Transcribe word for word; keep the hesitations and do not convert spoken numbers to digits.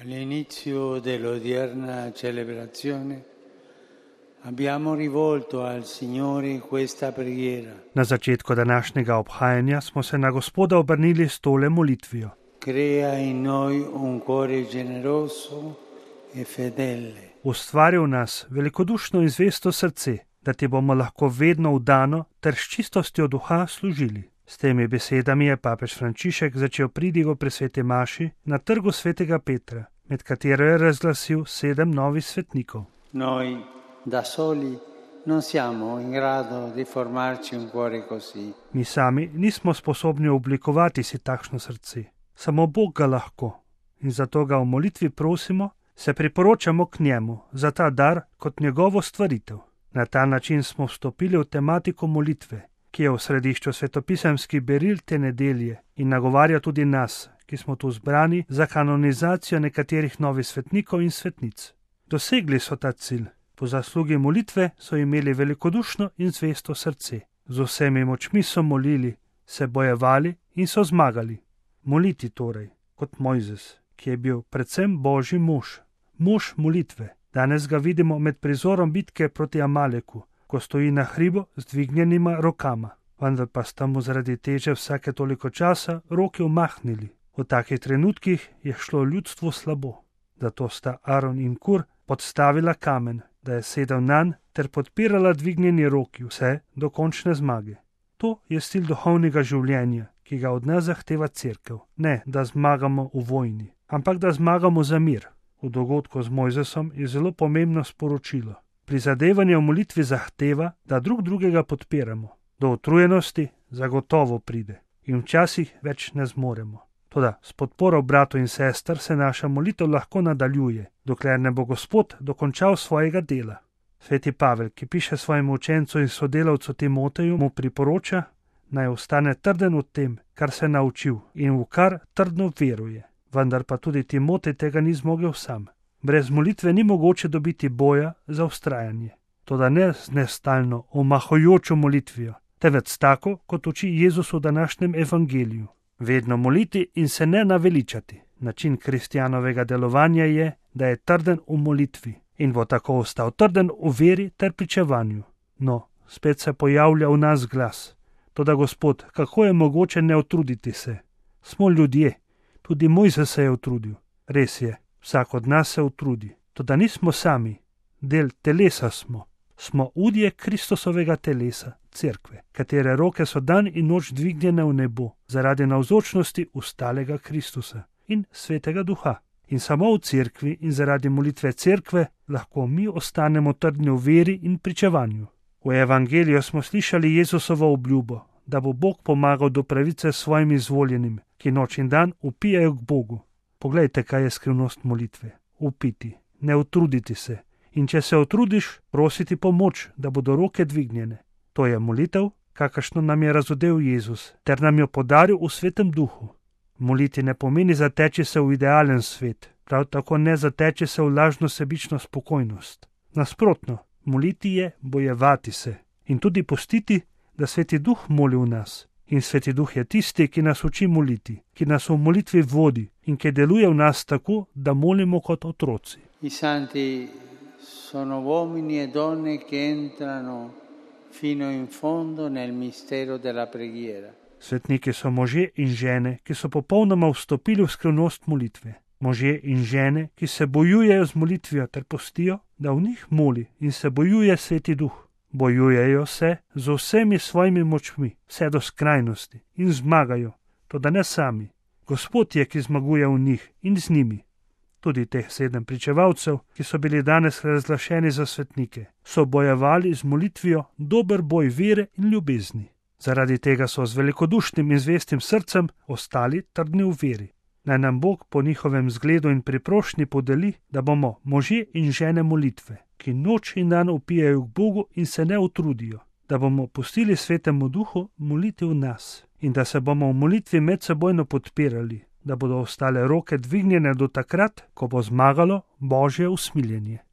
All'inizio dell'odierna celebrazione abbiamo rivolto al Signore questa preghiera. Na začetku današnjega obhajanja smo se na Gospoda obrnili s tole molitvijo. Crea in noi un cuore generoso e fedele. Ustvari v nas velikodušno in zvesto srce, da ti bomo lahko vedno vdano ter s čistostjo duha služili. S temi besedami je papež Frančišek začel pridigo pri sveti maši na trgu svetega Petra, med katero je razglasil sedem novih svetnikov. Noi da soli non siamo in grado di formarci un cuore così. Mi sami nismo sposobni oblikovati si takšno srce. Samo Bog ga lahko in zato ga v molitvi prosimo, se priporočamo k njemu za ta dar kot njegovo stvaritev. Na ta način smo vstopili v tematiko molitve, ki je v središču svetopisemskih beril te nedelje in nagovarja tudi nas, ki smo tu zbrani za kanonizacijo nekaterih novih svetnikov in svetnic. Dosegli so ta cilj. Po zaslugi molitve so imeli velikodušno in zvesto srce. Z vsemi močmi so molili, se bojevali in so zmagali. Moliti torej, kot Mojzes, ki je bil predvsem Božji mož. Mož molitve. Danes ga vidimo med prizorom bitke proti Amaleku, ko stoji na hribu z dvignjenima rokama. Vendar pa sta mu zaradi teže vsake toliko časa roke umahnili. V takih trenutkih je šlo ljudstvu slabo. Zato sta Aron in Kur podstavila kamen, da je sedel nanj ter podpirala dvignjeni roki vse do končne zmage. To je stil duhovnega življenja, ki ga od nas zahteva cerkev. Ne, da zmagamo v vojni, ampak da zmagamo za mir. V dogodku z Mojzesom je zelo pomembno sporočilo. Prizadevanje v molitvi zahteva, da drug drugega podpiramo. Do utrujenosti zagotovo pride in včasih več ne zmoremo. Toda s podporo bratov in sester se naša molitev lahko nadaljuje, dokler ne bo Gospod dokončal svojega dela. Sveti Pavel, ki piše svojemu učencu in sodelavcu Timoteju, mu priporoča, naj ostane trden v tem, kar se je naučil in v kar trdno veruje. Vendar pa tudi Timotej tega ni zmogel sam. Brez molitve ni mogoče dobiti boja za vztrajanje. Toda ne z nestalno, omahajočo molitvijo, temveč tako, kot uči Jezus v današnjem evangeliju. Vedno moliti in se ne naveličati. Način kristjanovega delovanja je, da je trden v molitvi in bo tako ostal trden v veri ter pričevanju. No, spet se pojavlja v nas glas. Toda Gospod, kako je mogoče ne utruditi se? Smo ljudje. Tudi Mojzes se je utrudil. Res je, vsak od nas se utrudi. Toda nismo sami. Del telesa smo. Smo udje Kristusovega telesa, cerkve, katere roke so dan in noč dvignjene v nebo zaradi navzočnosti ustalega Kristusa in svetega duha. In samo v cerkvi in zaradi molitve cerkve lahko mi ostanemo trdni v veri in pričevanju. V evangeliju smo slišali Jezusovo obljubo, da bo Bog pomagal do pravice svojim izvoljenim, ki noč in dan upijajo k Bogu. Poglejte, kaj je skrivnost molitve. Upiti, ne utruditi se. In če se utrudiš, prositi pomoč, da bodo roke dvignjene. To je molitev, kakršno nam je razodel Jezus, ter nam jo podaril v svetem duhu. Moliti ne pomeni zateči se v idealen svet, prav tako ne zateči se v lažno sebično spokojnost. Nasprotno, moliti je bojevati se in tudi pustiti, da sveti duh moli v nas. In sveti duh je tisti, ki nas uči moliti, ki nas v molitvi vodi in ki deluje v nas tako, da molimo kot otroci. I santi sono uomini e donne che entrano fino in fondo nel mistero della preghiera. Svetniki so možje in žene, ki so popolnoma vstopili v skrivnost molitve. Možje in žene, ki se bojujejo z molitvijo ter pustijo, da v njih moli in se bojuje sveti duh. Bojujejo se z vsemi svojimi močmi, vse do skrajnosti in zmagajo, toda ne sami. Gospod je, ki zmaguje v njih in z njimi. Tudi teh sedem pričevalcev, ki so bili danes razglašeni za svetnike, so bojevali z molitvijo dober boj vere in ljubezni. Zaradi tega so z velikodušnim in zvestim srcem ostali trdni v veri. Naj nam Bog po njihovem zgledu in priprošnji podeli, da bomo možje in žene molitve, ki noč in dan upijajo k Bogu in se ne utrudijo, da bomo pustili svetemu duhu moliti v nas in da se bomo v molitvi medsebojno podpirali, da bodo ostale roke dvignjene do takrat, ko bo zmagalo Božje usmiljenje.